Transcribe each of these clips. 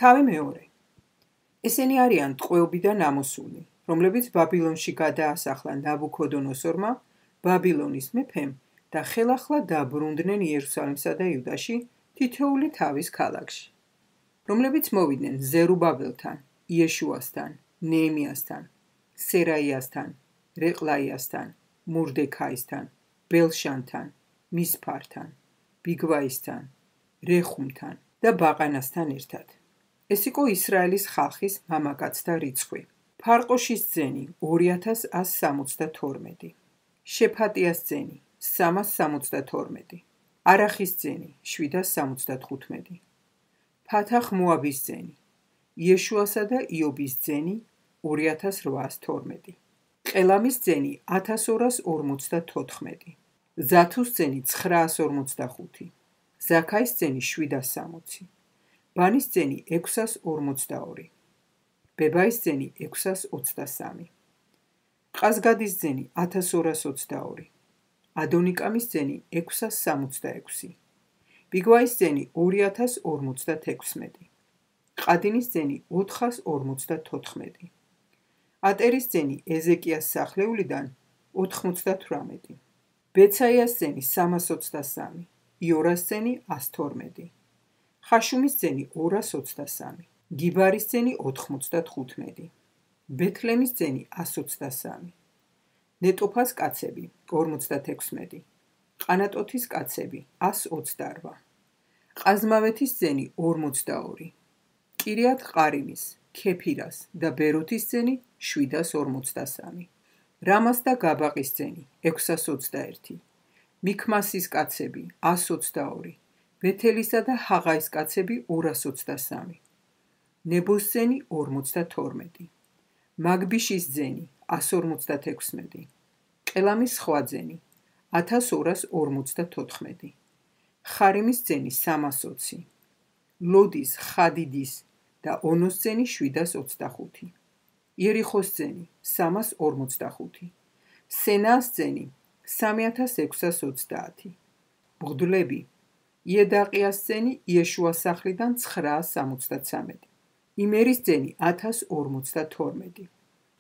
თავი მეორე. ესენი არიან ტყვეობიდან ამოსულნი, რომლებიც ბაბილონში გადაასახლა ნაბუქოდონოსორმა, ბაბილონის მეფემ და ხელახლა დაბრუნდნენ იერუსალიმსა და იუდაში თითოეული თავის ქალაქში, რომლებიც მოვიდნენ ზერუბაბელთან, იეშუასთან, ნეემიასთან, სერაიასთან, რეყლაიასთან, მურდექაისთან, ბელშანთან, მისფართან, ბიგვაისთან, რეხუმთან და ბაყანასთან ერთად. ეს იყო ისრაელის ხალხის მამაკაცთა რიცხვი. ფარყოშის ძენი 2162, შეფატიას ძენი 372, არახის ძენი 775, ფათახ მოაბის ძენი, იეშუასა და იობის ძენი 2812, ყელამის ძენი 1254, ზათუს ძენი 945, ზაქაის ძენი 760, ბანის ძენი 642, ბებაის ძენი 623, ყაზგადის ძენი 1222, ადონიკამის ძენი 666, ბიგვაის ძენი 2056, ყადინის ძენი 454, ატერის ძენი ეზეკიას სახლეულიდან 98, ბეცაიას ძენი 323, იორას ძენი 112, ხაშუმის ძენი 223, გიბარის ძენი 95, ბეთლემის ძენი 123, ნეტოფას კაცები 56, ყანატოთის კაცები 128, ყაზმავეთის ძენი 42, კირიათ ყარიმის, ქეფირას და ბეროთის ძენი 753, რამას და გაბაყის ძენი 621, მიქმასის კაცები 122, ბეთელისა და ჰაღაის კაცები 223, ნებოს ძენი 52, მაგბიშის ძენი 156, ყელამის სხვა ძენი 1254, ხარიმის ძენი 320, ლოდის, ხადიდის და ონოს ძენი 725, იერიხოს ძენი 345, სენას ძენი 3630, ბღდლები, იედაყიას ძენი იეშუას სახლიდან 973, იმერის ძენი 1052,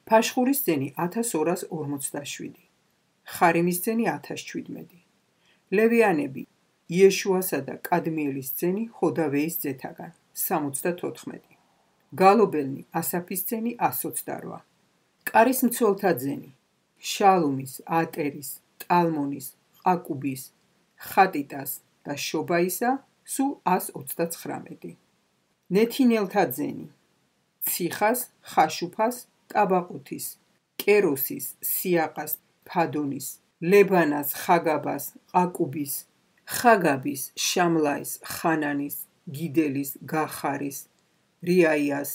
ფაშხურის ძენი 1247, ხარიმის ძენი 1017, ლევიანები, იეშუასა და კადმიელის ძენი ჰოდავეის ძეთაგან 74, გალობელნი ასაფის ძენი 128, კარის მცველთა ძენი, შალუმის, ატერის, ტალმონის, ყაკუბის, ხატიტას და შობაისა სულ 129, ნეთინელთა ძენი, ციხას, ხაშუფას, ტაბაყუთის, კეროსის, სიაყას, ფადონის, ლებანას, ხაგაბას, ყაკუბის, ხაგაბის, შამლაის, ხანანის, გიდელის, გახარის, რიაიას,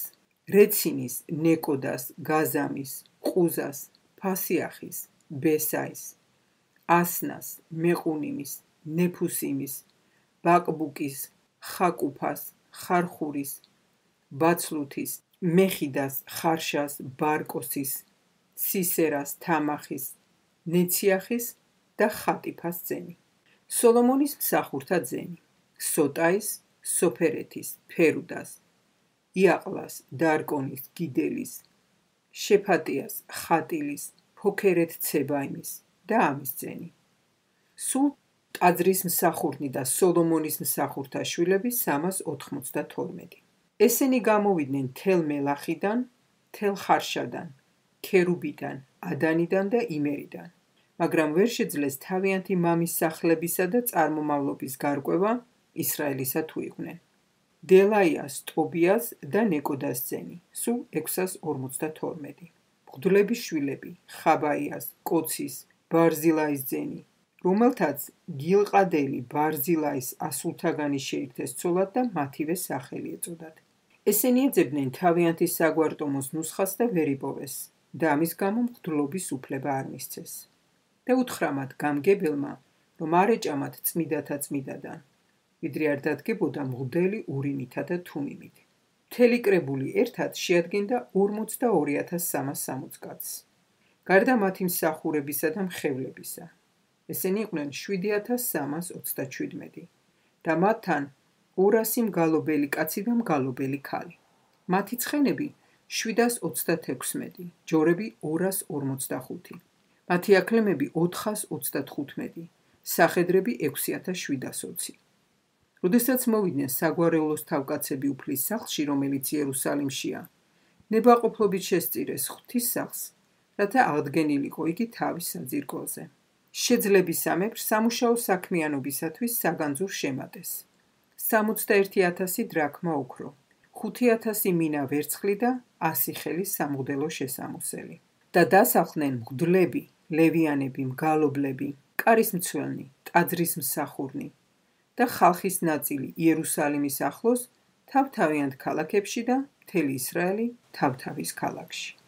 რეცინის, ნეკოდას, გაზამის, ყუზას, ფასიახის, ბესაის, ასნას, მეყუნიმის, ნეფუსიმის, ბაკბუკის, ხაკუფას, ხარხურის, ბაცლუთის, მეხიდას, ხარშას, ბარკოსის, სისერას, თამახის, ნეციახის და ხატიფას ძენი. სოლომონის მსახურთა ძენი, სოტაის, სოფერეთის, ფერუდას, იაყლას, დარკონის, გიდელის, შეფატიას, ხატილის, ფოქერეთ ცებაიმის და ამის ძენი. სულ ტაძრის მსახურნი და სოლომონის მსახურთა შვილები 392. ესენი გამოვიდნენ თელ მელახიდან, თელ ხარშადან, ქერუბიდან, ადანიდან და იმერიდან, მაგრამ ვერ შეძლეს თავიანთი მამის სახლებისა და წარმომავლობის გარკვევა ისრაელისა თუ იყვნენ. დელაიას, ტობიას და ნეკოდას ძენი, სულ 652. ბღდლების შვილები, ხაბაიას, კოცის, ბარზილაის ძენი, რომელთაც გილყადელი ბარზილაის ასულთაგანი შეირთეს ცოლად და მათივე სახელი ეწოდათ. ესენი ეძებდნენ თავიანთი საგვარტომოს ნუსხას და ვერ იპოვეს და ამის გამო მღვდლობის უფლება არ მისცეს. და უთხრა მათ გამგებელმა, რომ არ ეჭამათ წმიდათა წმიდადან, ვიდრე არ დადგებოდა მღვდელი ურიმითა და თუმიმით. მთელი კრებული ერთად შეადგენდა 42360 კაცს. გარდა მათი მსახურებისა და მხევლებისა. ესენი იყვნენ 7327 და მათთან 200 მგალობელი კაცი და მგალობელი ქალი. მათი ცხენები 736, ჯორები 245. მათი აქლემები 435, სახედრები 6720. როდესაც მოვიდნენ საგვარეულოს თავკაცები უფლის სახლში, რომელიც იერუსალიმშია, ნებაყოფლობით შესწირეს ღვთისმსახურს, რათა აღდგენილიყო იგი თავის საძირკველზე. შეძლებისამებრ სამუშაო საქმიანობისათვის საგანძურ შემატეს. 61,000 დრაქმა ოქრო, 5,000 მინა ვერცხლი და 100 ხელი სამღვდელო შესამოსელი. და დასახლდნენ მღვდლები, ლევიანები, მგალობლები, კარის მცველნი, ტაძრის მსახურნი და ხალხის ნაწილი იერუსალიმის ახლოს თავთავიანთ ქალაქებში და მთელი ისრაელი თავთავის ქალაქში.